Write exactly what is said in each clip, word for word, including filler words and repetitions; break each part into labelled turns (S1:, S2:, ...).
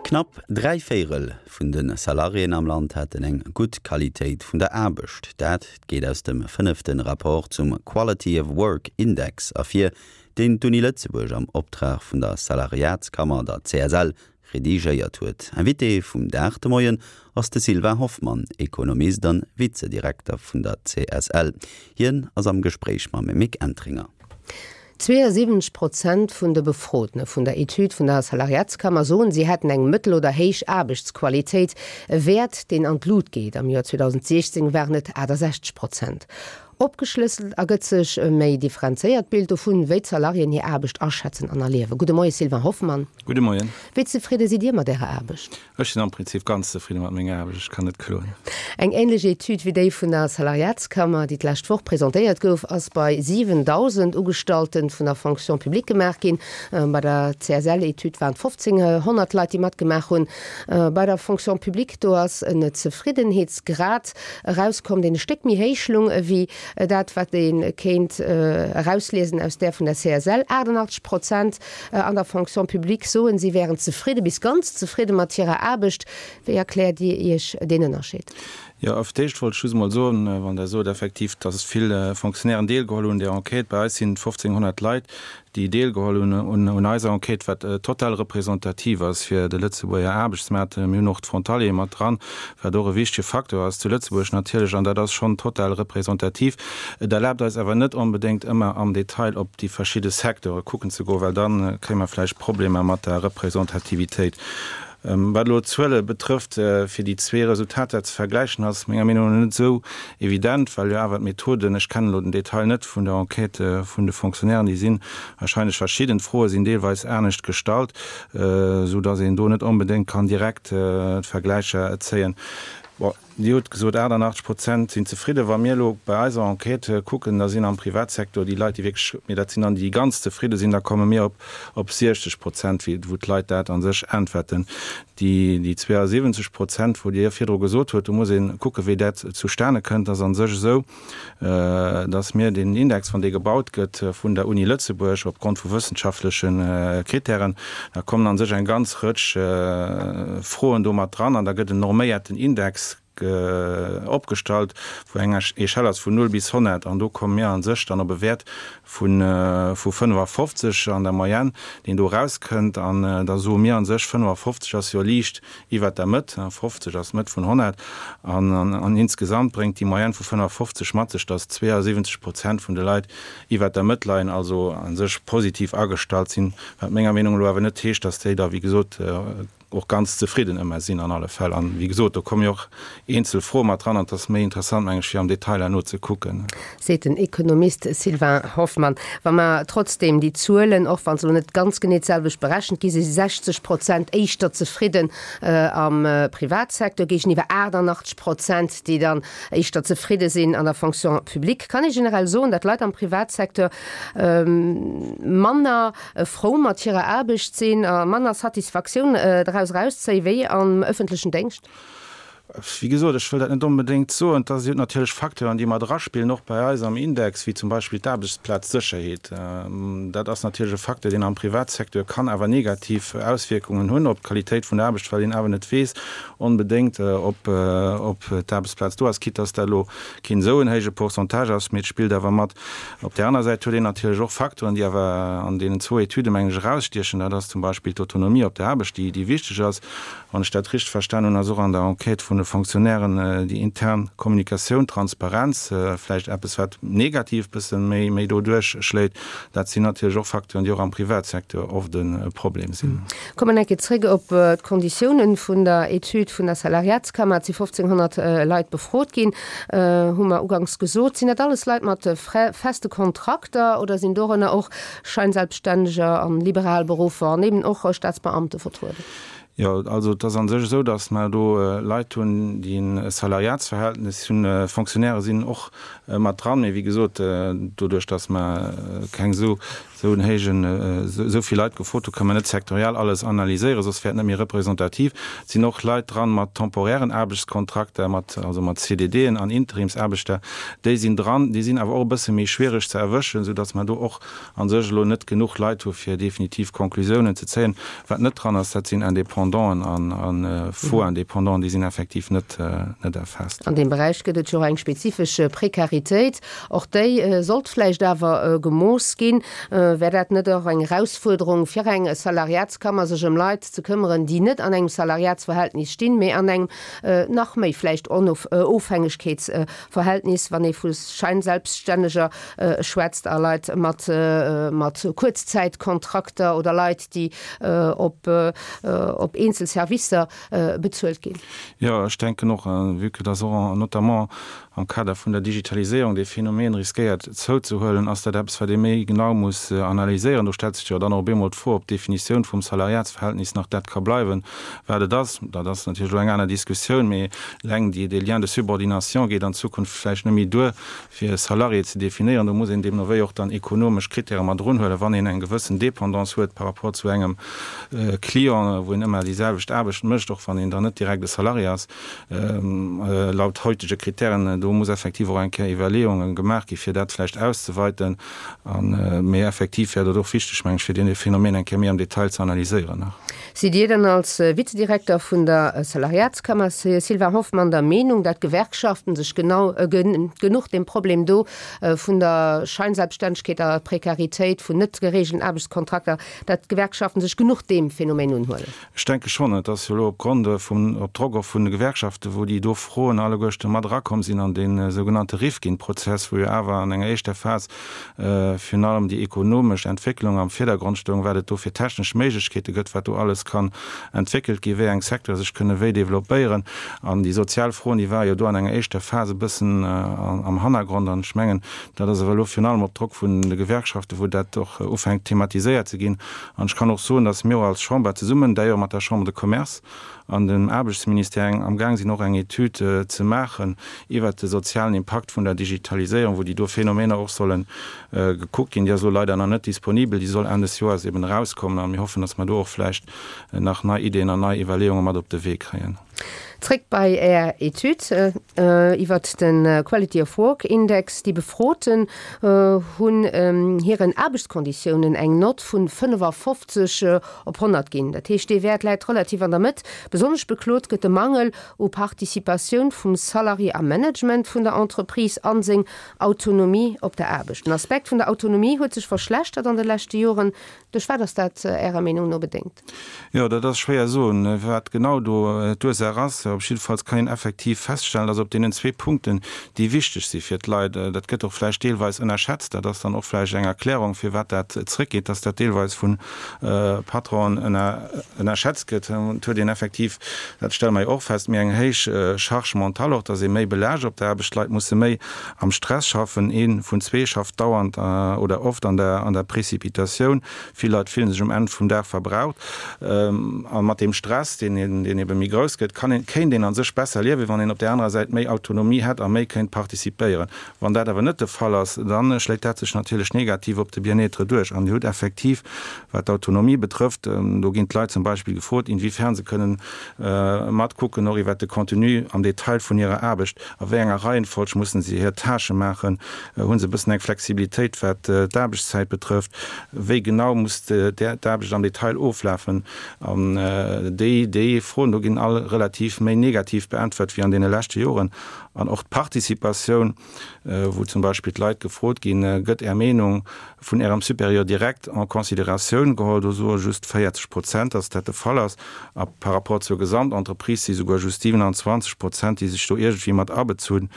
S1: Knapp dräi Véierel vun de Salariéen am Land hätten eng gutt Qualitéit vun der Aarbecht. Dat geet aus dem fënnefte Rapport zum Quality of Work Index ervir, deen d'Uni Lëtzebuerg am Optrag vun der Salariatskammer, der C S L, redigéiert huet. Invité vum Dag de Moien ass de Sylvain Hoffmann, Ekonomist an Vizedirekter vun der C S L. Hien ass am Gespréich mam Mick Entringer.
S2: zweeësiwwenzeg Prozent vun de Befrotene vun der Etüd vun der Salariatskammer soen, si hätten eng mëttel- oder héich Aarbechtsqualitéit, e Wäert, deen an d'Lut geet. Am Joer zweedausendsiechzéng waren et aattasechzeg Prozent. Opgeschlësselt ergëtt sech e méi differenzéiert Bild dovun, wéi d'Salariéen hir Aarbecht aschätzen an erliewen. Gudde Moie Sylvain Hoffmann.
S3: Gudde Moien.
S2: Wéi zefridde sidd Dir mat Ärer Aarbecht?
S3: Ech sinn am Prinzip ganz zefridde mat menger Aarbecht, ech kann net kloen.
S2: Eng änlech Etüd wéi déi vun der Salariatskammer, déi d'lescht Woch presentéiert gouf, ass bei siwendausend Ugestallte vun der Fonction publique gemaach ginn. Bei der C S L-Etüd waren et fofzénghonnert Leit, déi matgemaach hunn. Bei der Fonction publique, do ass en Zefriddenheetsgrad erauskomm, deen e Stéck méi héich lung ewéi dat, wat ee kéint erausliesen aus där vun der C S L. aachtannachtzeg Prozent an der Fonction publique soen, si wären zefridde bis ganz zefridde mat hirer Aarbecht. Wéi erkläert Dir Iech deen Ënnerscheed?
S3: Jo, op d'éischt wollt ech just emol soen, wann Der sot effektiv, dass vill Fonctionnairen deelgeholl hunn un där Enquête, bei eis sinn et fofzénghonnert Leit, déi deelgeholl hunn un eiser Enquête, wat total representativ ass fir de Lëtzebuerger Aarbechtsmaart. Mir hunn och d'Frontaliere mat dran, wat och e wichtege Facteur ass zu Lëtzebuerg natierlech, an dat ass schonn total representativ. Et erlaabt eis awer net onbedéngt ëmmer am Detail op déi verschidde Secteure kucken ze goen, well da kréie mer vläicht Problemer mat der Representativitéit. Wat elo d'Zuele betrëfft, fir déi zwee Resultater ze vergläichen, ass menger Meenung no net esou evident, well jo awer d'Methoden, ech kennen elo den Detail net vun der Enquête vun de Fonctionnairen, déi si wahrscheinlech verschidden, d'Froe sinn deelweis anescht gestallt, esou datt een do net onbedéngt kann direkt d'Vergläicher zéien. Bon, Dir hutt gesot, aachtannachtzeg Prozent sinn zefridden. Wa mir elo bei eiser Enquête kucken, da sinn am Privatsecteur déi Leit, déi wierklech, mee dat sinn dann déi, déi ganz zefridde sinn, da komme mir op op siechzeg Prozent, wou d'Leit dat a sech äntwerten. Déi déi zweeësiwwenzeg Prozent, wou Dir virdru gesot hutt, do muss ee kucken, wéi dat zustane kënnt. Dat ass a sech esou, datt mir deen Index, wann dee gebaut gëtt vun der Uni Lëtzebuerg opgrond vu wëssenschaftleche Kritären, da kommen a sech eng ganz Rëtsch Froen do mat dran an da gëtt en norméierten Index opgestallt, wou eng Echelle ass vun null bis honnert, an do komme mir a sech dann op e Wäert vu vu fënnefafofzeg an der Moyenne, deen do erauskënnt. An da soe mir a sech, fënnefafofzeg ass jo liicht iwwert der Mëtt, fofzeg ass d'Mëtt vun honnert, an an insgesamt bréngt déi Moyenne vu fënnefafofzeg mat sech, datt zweeësiwwenzeg Prozent vun de Leit iwwert der Mëtt leien, also a sech positiv agestallt sinn, wat menger Meenung no awer net heescht, datt déi da wéi gesot och ganz zefridden ëmmer sinn an alle Fäll. An wéi gesot, do komme jo och eenzel Froe mat dran an et ass méi interessant, meng ech, fir am Detail herno ze kucken.
S2: Seet den Ekonomist Sylvain Hoffmann. Wa mer trotzdeem déi Zuelen, och wa se elo net ganz genee d'selwecht berechent gi si sechzeg Prozent éischter zefridden am Privatsecteur géigeniwwer aachtannachtzeg Prozent, déi dann éischter zefridde sinn an der Fonction publique. Kann ee generell soen, datt Leit am Privatsecteur manner frou mat hirer Aarbecht sinn a manner Satisfaktioun draus erauszéien, wéi am ëffentlechen Déngscht?
S3: Wéi gesot, ech wëll dat net onbedéngt soen. Et si natierlech Facteuren, déi mat eraspillen, och bei eis am Index, wéi zum Beispill d'Aarbechtsplazsécherheet. Dat ass natierlech e Facteur, deen am Privatsecteur kann awer negativ Auswierkungen hunn op d'Qualitéit vun der Aarbecht, well een awer net weess onbedéngt, ob d'Aarbechtsplaz do ass, quitte dass dat elo keen esou en héije Pourcentage ass, mee et spillt awer mat. Op där aner Säit huet een natierlech och Facteuren, déi awer an deenen zwou Etüden, mengen ech, erausstiechen. Dat ass zum Beispill d'Autonomie op der Aarbecht, déi wichteg ass. Wann ech dat richteg verstan hunn, ass och an der Enquête vun de Fonctionnairen déi intern Kommunikatioun, Transparenz vläicht eppes, wat negativ bësse méi méi do duerchschléit. Dat sinn natierlech och Facteuren, déi och am Privatsecteur oft e Problem sinn.
S2: Kommen eng Kéier zréck op d'Konditiounen vun der Etüd vun der Salariatskammer. Et si fofzénghonnert Leit befrot ginn, hu mer uganks gesot. Sinn dat alles Leit mat feste Kontrakter oder sinn dorënner och Scheinselbststänneger an liberal Beruffer an eben och Staatsbeamte vertrueden?
S3: Jo, also et ass a sech esou, datt mer do Leit hunn, déi e Salariatsverhältnis hunn. Fonctionnairë sinn och mat dran, mee wéi gesot, doduerch datt mer keng esou esou en héijen, esou vill Leit gefrot hunn, kënne mer net sektoriell alles analyséieren, soss wär et net méi representativ. Et sinn och Leit dran mat temporären Aarbechtskontrakter, mat, also mat C D Dën an Interimsaarbechter, déi sinn dran. Déi sinn awer och e bësse méi schwiereg ze erwëschen, soudatt mer do och a sech elo net genuch Leit hu fir definitiv Conclusiounen ze zéien. Wat net dran ass, dat sinn Indépendant. Independanten an a faux Independanten, déi sinn effektiv net net erfaasst.
S2: An deem Beräich gëtt et jo och eng spezifesch Prekaritéit. Och déi sollt vläicht awer gemooss ginn. Wär dat net och eng Erausfuerderung fir eng Salariatskammer, sech ëm Leit ze këmmeren, déi net an engem Salariatsverhältnis stinn, mee an engem nach méi vläicht Onofhängegkeetsverhältnis, wann ee vu Scheinselbststänneger schwätzt a Leit mat mat Kuerzzäitkontrakter oder Leit, déi op op eenzel Servicer bezuelt ginn?
S3: Jo, ech denken och, vue que dass och notamment am Kader vun der Digitaliséierung dee Phänomen riskéiert zouzehuelen, ass dat eppes, wat ee méi genau muss analyséieren. Do stellt sech jo dann och op eemol d'Fro, ob d'Definitioun vum Salariatsverhältnis nach dat ka bleiwen, wat et ass. Dat ass natierlech elo eng aner Diskussioun, mee eleng déi, dee Lien de subordination geet an Zukunft vläicht net méi duer, fir e Salarié ze definéieren. Do muss een deemno wéi och dann ekonomesch Kritäre mat erunhuelen, wann een eng gewëssen Dépendance huet par rapport zu engem Client, wou een ëmmer déi selwecht Aarbecht mécht, och wann een dann net direkt e Salarié ass, laut hautege Kritären. Do muss effektiv och eng Kéier Iwwerleeunge gemaach gi fir dat vläicht auszeweiten. Mee effektiv wär dat och wichteg, meng ech, fir dee Phänomen eng Kéier méi am Detail ze analyséieren nach.
S2: Sidd Dir dann als Vizedirekter vun der Salariatskammer, Sylvain Hoffmann, der Meenung, dat d'Gewerkschaften sech genau genuch dem Problem do vun der Scheinselbststännegkeet a Prekaritéit vun net geregelten Aarbechtskontrakter, dat d'Gewerkschaften sech genuch deem Phänomen unhuelen?
S3: Ech denke schonn. Et ass jo elo opgrond vum, op Drock och vun de Gewerkschaften, wou déi do Froen alleguerchte mat erakomm sinn an dee sougenannte Rifkin-Prozess, wou jo awer an enger éischter Phas virun allem déi ekonomesch Entwécklung am Virdergrond stoung, wat et do fir technesch Méiglechkeete gëtt, wat do alles kann entwéckelt ginn, wéi eng Secteure sech kënne wéi developpéieren. An déi sozial Froen, déi ware jo do an enger éischter Phas e bëssen am Hannergrond. An ech mengen, dat ass awer elo virun allem op Drock vun de Gewerkschaften, wou dat och ufänkt thematiséiert ze ginn. An ech kann och soen, dass mir och als Chamber zesummen, d'ailleurs mat der Chambre de Commerce an dem Aarbechtsministère, amgaang sinn och eng Etüd ze maachen iwwert de sozialen Impakt vun der Digitaliséierung, wou déi do Phänomener och solle gekuckt ginn. Déi ass elo leider nach net disponibel, déi soll Enn des Joers eben erauskommen a mir hoffen, dass mer do och vläicht nach nei Ideeën an nei Iwwerleeunge mat op de Wee kréien.
S2: Zréck bei Är Etüd iwwert de Quality of Work Index. Déi Befroten hunn hiren Aarbechtskonditiounen eng Nott vu fënnefafofzeg op honnert ginn. Dat heescht, dee Wäert läit relativ an der Mëtt. Besonnesch beklot gëtt de Mangel u Participatioun vum Salarié am Management vun der Entreprise an seng Autonomie op der Aarbecht. Den Aspekt vun der Autonomie huet sech verschlechtert an de leschte Joren. Duerch wat ass dat Ärer Meenung no bedéngt?
S3: Jo, dat ass schwéier soen, wat genau do d'Ursaach ass. Op jiddefalls kann een effektiv feststellen, dass op deenen zwee Punkten, déi wichteg si fir d'Leit, dat gëtt och vläicht deelweis ënnerschätzt, dat ass dann och vläicht eng Erklärung, firwat dat zrëckgeet, dass dat deelweis vu Patronen ënnerschätzt gëtt. Et huet een effektiv, dat stelle mer jo och fest, méi eng héich Charge mentale och, dass ee méi belaascht op der Aarbecht, d'Leit musse méi am Stress schaffen, ee vun zwee schafft dauernd oder oft an der an der Précipitatioun. Vill Leit fillen sech um Enn vum Dag verbraucht. A mat deem Stress, deen deen ebe méi grouss gëtt, kann een, kéint een a sech besser liewen, wann een op där anerer Säit méi Autonomie hätt a méi kéint participéieren. Wann dat awer net de Fall ass, da schléit dat sech natierlech negativ op de Bien-être duerch. An Dir hutt effektiv, wat d'Autonomie betrëfft, do ginn d'Leit zum Beispill gefrot, inwiefern se kënnen matkucken och iwwert de Contenu am Detail vun hirer Aarbecht, a wéi enger Reihenfolg mussen se hir Tâchë maachen, hu se e bëssen eng Flexibilitéit, wat d'Aarbechtszäit betrëfft, wéi genau muss d'Aarbecht am Detail oflafen. An déi, déi Froen do ginn all relativ méi negativ beäntwert wéi an deene leschte Joren. An och d'Participatioun, wou zum Beispill d'Leit gefrot ginn, Gëtt Är Meenung vun Ärem Supérieur direkt en considératioun geholl? Do soe just véierzeg Prozent, dass dat de Fall ass. A par rapport zur Gesamtentreprise si souguer just siwenanzwanzeg Prozent, déi sech do iergendwéi mat abezunn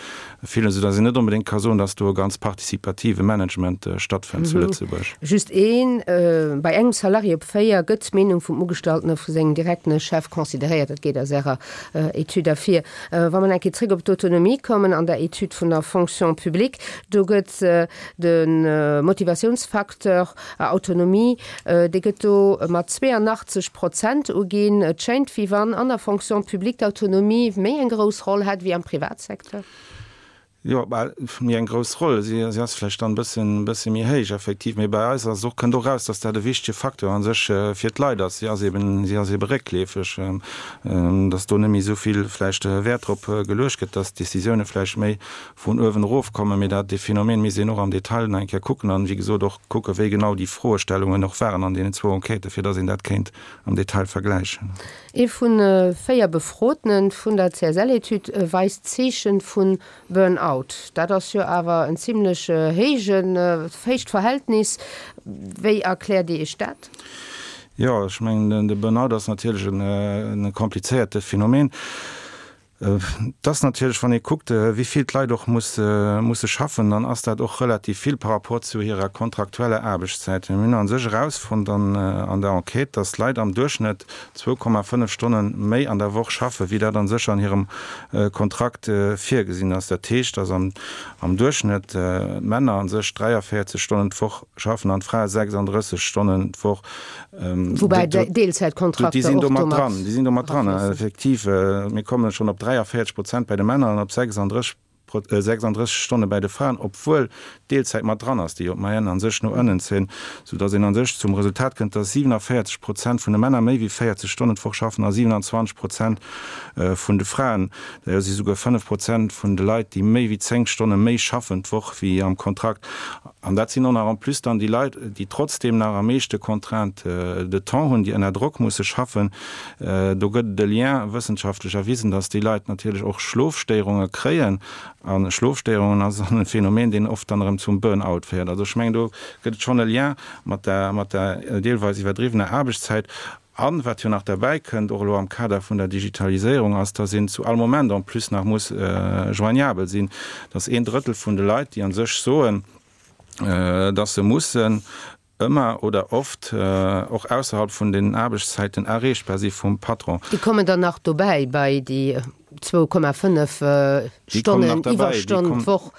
S3: fillen, soudass een net onbedéngt ka soen, dass do e ganz partizipative Management stattfënnt zu Lëtzebuerg.
S2: Just ee bei engem Salarié op véier gëtt d'Meenung vum Ugestallten a vu sengem direkten Chef consideréiert. Dat geet aus Ärer Etüd ervir. Wa mer eng Kéier zréck op d'Autonomie kommen an der Etüd vun der Fonction publique, do gëtt de Motivatiounsfacteur Autonomie, dee gëtt do mat zweeanachtzeg Prozent uginn. Et schéint, wéi wann an der Fonction publique d'Autonomie méi eng grouss Roll hätt wéi am Privatsecteur.
S3: Jo, bal méi eng grouss Roll. Si, si ass vläicht dann e bëssen, bësse méi héich effektiv, mee bei eis ass och, kënnt och raus, dass dat e wichtege Facteur a sech fir d'Leit ass. Si ass eben, si ass ebe réckleefeg, dass do net méi esou vill vläicht Wäert drop geluecht gëtt, dass d'Décisioune vläicht méi vun uewen erof kommen. Mee dat, dee Phänomen misst een och am Detail nach eng Kéier kucken an, wéi gesot, och kucken, wéi genau déi Froestellungen och waren an deenen zwou Enquêten, fir dass een dat kéint am Detail vergläichen.
S2: Ee vu véier Befrotene vun der C S L-Etüd weist Zeeche vu Burnout. Dat ass jo awer en zimlech héijen, héicht Verhältnis. Wéi erkläert Dir Iech dat?
S3: Jo, ech mengen, de Burnout ass natierlech en komplizéierte Phänomen. Et ass natierlech, wann ee kuckt, wéi vill d'Leit och musse schaffen, dann ass dat och relativ vill par rapport zu hirer kontraktueller Aarbechtszäit. Mir hunn a sech erausfonnt an der Enquête, dass d'Leit am Duerchschnëtt zwou Komma fënnef Stonne méi an der Woch schaffen, wéi dat a sech an hirem Kontrakt virgesinn ass. Dat heescht, dass am Duerchschnëtt d'Männer a sech dräiavéierzeg Stonnen d'Woch schaffen an d'Frae sechsanddrësseg Stonnen d'Woch.
S2: Woubäi Deelzäitkontrakter
S3: och do mat erafléissen. Déi sinn do mat dran, effektiv. Mir komme schonn op dräiavéierzeg Prozent bei de Männer an op sechsanddrësseg Stonne bei de Fraen, obwuel d'Deelzäit mat dran ass, déi jo d'Moyenne a sech no ënnen zéien, soudass een a sech zum Resultat kënnt, dass siewenaviertzeg Prozent vun de Männer méi wéi véierzeg Stonnen d'Woch schaffen a siewenanzwanzeg Prozent vun de Fraen. D'ailleurs si souguer fënnef Prozent vun de Leit, déi méi wéi zéng Stonne méi schaffen d'Woch wéi am Kontrakt. An dat sinn och nach en plus dann déi Leit, déi trotzdeem nach am meeschte Contrainte de temps hunn, déi ënner Drock musse schaffen. Do gëtt et e Lien, wëssenschaftlech erwisen, dass déi Leit natierlech och Schlofstéierunge kréien. A Schlofstéierungen ass dann e Phänomen, deen oft dann erëm zum Burn-out féiert. Also ech mengen, do gëtt et schonn e Lien mat der, mat der deelweis iwwerdriwwener Aarbechtszäit. An wat jo nach derbäi kënnt, och elo am Kader vun der Digitaliséierung, ass, dass een zu all Moment en plus nach muss joignabel sinn, dass een Drëttel vun de Leit, déi a sech soen, dass se mussen ëmmer oder oft och ausserhalb vun den Aarbechtszäiten erreechbar si vum Patron.
S2: Déi kommen dann nach dobäi bei déi zwou Komma fënnef Stonnen Iwwerstonn d'Woch.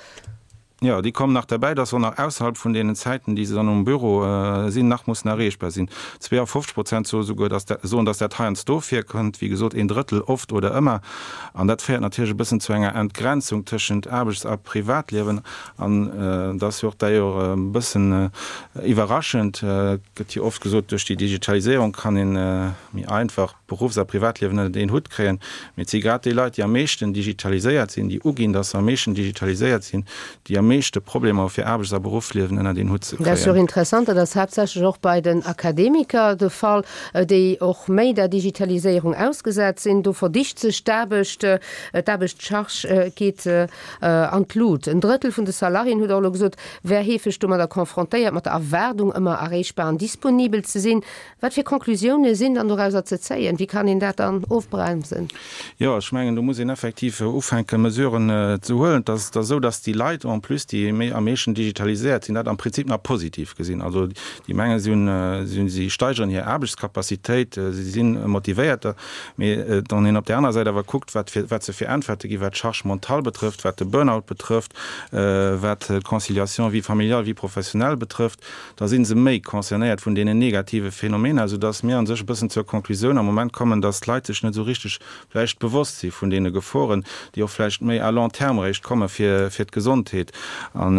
S3: Jo, déi kommen nach derbäi, dass se och nach ausserhalb vun deenen Zäiten, déi se dann um Büro sinn, nach mussen erreechbar sinn. zweeafofzeg Prozent soe souguer, dass dat, soen, dass dat heiansdo virkënnt, wéi gesot, een Drëttel oft oder ëmmer. An dat féiert natierlech e bëssen zu enger Entgrenzung tëschent Aarbechts a Privatliewen. An dat ass jo och d'ailleurs e bëssen iwwerraschend, et gëtt jo oft gesot, duerch déi Digitaliséierung kann ee méi einfach Beruffs a Privatliewen ënnert een Hutt kréien. Mee et si grad déi Leit, déi am meeschten digitaliséiert sinn, déi uginn, dass se am meeschten digitaliséiert sinn, déi am meeschte Problemer hu fir Aarbechts a Beruffsliewen ënnert een Hutt ze
S2: Dat ass jo och
S3: kréien.
S2: interessant, dat ass haaptsächlech och bei den Akademiker de Fall, déi och méi der Digitaliséierung ausgesat sinn. Do verdicht sech d'Aarbecht, d'Aarbechtscharge geet an d'Lut. En Drëttel vun de Salariéen, hutt Der och elo gesot, wär heefeg domadder confrontéiert, mat der Erwaardung, ëmmer erreechbar an disponibel ze sinn. Wat fir Conclusioune sinn dann dorauser ze zéien? Wéi kann een dat dann ofbremsen?
S3: Jo, ech mengen, do muss een effektiv ufänken, Mesuren ze huelen. Et ass esou, datt déi Leit en plus, déi méi am meeschten digitaliséiert sinn, dat am Prinzip nach positiv gesinn. Also déi mengen, si hunn, si hunn, si steigeren hir Aarbechtscapacitéit, si si motivéierter. Mee wann een op där anerer Säit awer kuckt, wat fir, wat se fir Äntwerte ginn, wat d'Charge mentale betrëfft, wat de Burnout betrëfft, wat d'Conciliation vie familiale, vie professionnelle betrëfft, da si se méi concernéiert vun deenen negative Phänomener, soudass mir a sech e bëssen zur Konklusioun am Moment kommen, dass d'Leit sech net esou richteg vläicht bewosst si vun deene Geforen, déi och vläicht méi à long terme eréischt komme fir d'Gesondheet. An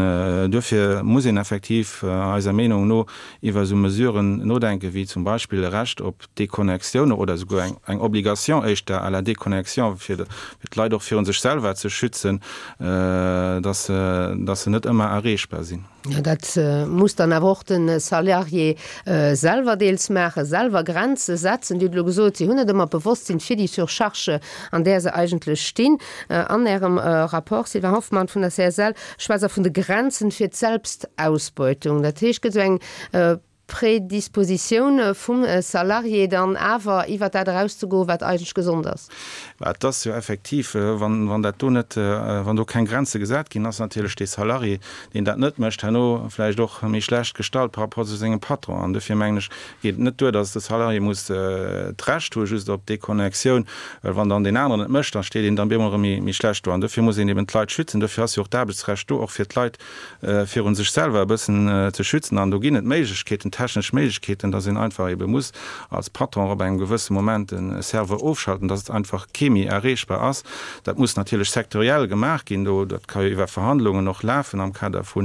S3: duerfir muss een effektiv eiser Meenung no iwwer esou Mesuren nodenken, wéi zum Beispill e Recht op Déconnexion oder esouguer eng Obligation éischter à la déconnexion, fir d'Leit och virun sech selwer ze schützen, dass se net ëmmer erreechbar sinn.
S2: Jo, dat muss dann awer och de Salarié selwer deels maachen, selwer Grenze setzen. Dir hutt elo gesot, si hunn net ëmmer d'Bewosstsinn fir déi Surcharge, an där se eigentlech stinn. An Ärem Rapport, Sylvain Hoffmann vun der C S L, schwätzt Der vun de Grenzen fir d'Selbstausbeutung. Dat heescht, et gëtt esou eng Predispositioun vum Salarié dann awer iwwert dat erauszegoen, wat eigentlech gesond ass.
S3: Mä et ass jo effektiv, wann, wann dat do net, wann do keng Grenze gesat ginn, ass natierlech dee Salarié, deen dat net mécht, herno vläicht och méi schlecht gestallt par rapport zu sengem Patron. An dofir mengen ech, geet et net duer, datt de Salarié muss d'Recht hu just op Deconnectioun, well wann dann deen aneren et mécht, da steet een dann bemol erëm méi, méi schlecht do. An dofir muss een eben d'Leit schützen. Dofir ass jo och d'Aarbechtsrecht do, och fir d'Leit virun sech selwer e bëssen ze schützen. An do ginn et Méiglechkeeten. technesch Méiglechkeeten, dass een einfach ebe muss als Patron op engem gewësse Moment de Serveur ofschalten, dass einfach kee méi erreechbar ass. Dat muss natierlech sektoriell gemaach ginn, do dat ka jo iwwer Verhandlungen och lafen am Kader vu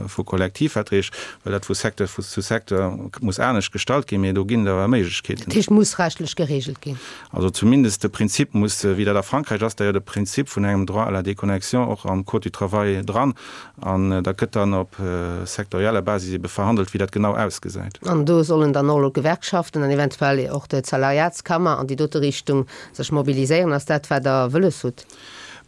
S3: vu Kollektivverträg, well dat vu Secteur zu Secteur muss anescht gestalt ginn, mee do ginn et awer Méiglechkeeten.
S2: Dat heescht, muss rechtlech geregelt ginn?
S3: Also zumindest de Prinzip muss, wéi dat a Frankräich ass, da jo de Prinzip vun engem Droit à la déconnexion och am Code du travail dran, an dat gëtt dann op sektorieller Basis ebe verhandelt, wéi dat genau ausgesäit.
S2: An do sollen dann och elo d'Gewerkschaften an eventuell och d'Salariatskammer an déi dote Richtung sech mobiliséieren. Ass dat, wat Der wëlles hutt?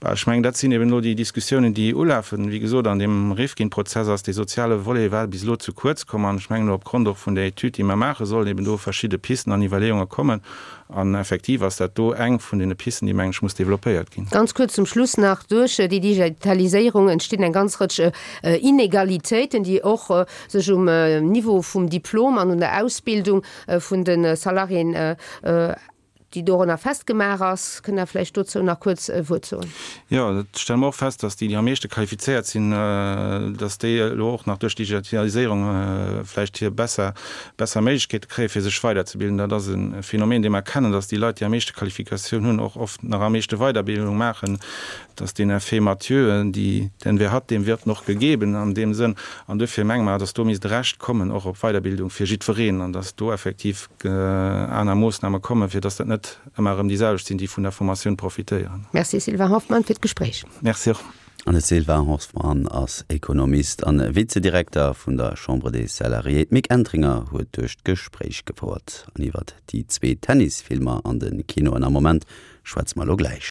S3: Bah, ech mengen, dat sinn eben elo déi Diskussiounen, déi ulafen. Wéi gesot, an deem Rifkin-Prozess ass dee soziale Volet war bis elo ze kuerz komm. An ech mengen, elo opgrond och vun där Etüd, déi mer maachen, sollen eben do verschidde Pisten an Iwwerleeunge kommen. An effektiv ass dat do eng vun deene Pisten, déi, mengen ech, muss développéiert ginn.
S2: Ganz kuerz zum Schluss nach, Duerch déi Digitaliséierung entstinn eng ganz Rëtsch Inegalitéiten, déi och sech um Niveau vum Diplom an un der Ausbildung vun de Salariéen déi dorunner festgemaach ass. Kënnt Der vläicht dozou nach kuerz e Wuert soen?
S3: Jo, dat stelle mer och fest, dass déi, déi am meeschte qualifizéiert sinn, dass déi elo och nach duerch d'Digitaliséierung vläicht hir besser, besser Méiglechkeete kréien, fir sech weiderzebilden. Dat ass e Phänomen, dee mer kennen, dass déi Leit, déi am meeschte Qualifikatioun hunn, och oft nach am meeschte Weiderbildung maachen. Dat ass deen Effet Mathieu, déi, denn wer hat, dem wird noch gegeben an deem Sënn. An duerfir menge mer, dass do misst e Recht kommen och op Weiderbildung fir jiddwereen an dass do effektiv aner Moossname kommen, fir dass dat net ëmmer erëm déi selwecht sinn, déi vun der Formatioun profitéieren.
S2: Merci Sylvain Hoffmann fir d'Gespréich.
S3: Merci och.
S1: An de Sylvain Hoffmann ass Ekonomist an Vizedirekter vun der Chambre des Salariés. D'Mick Entringer huet duerch d'Gespréich gefouert. An iwwert déi zwee Tennisfilmer an de Kinoen am Moment schwätze mer elo gläich.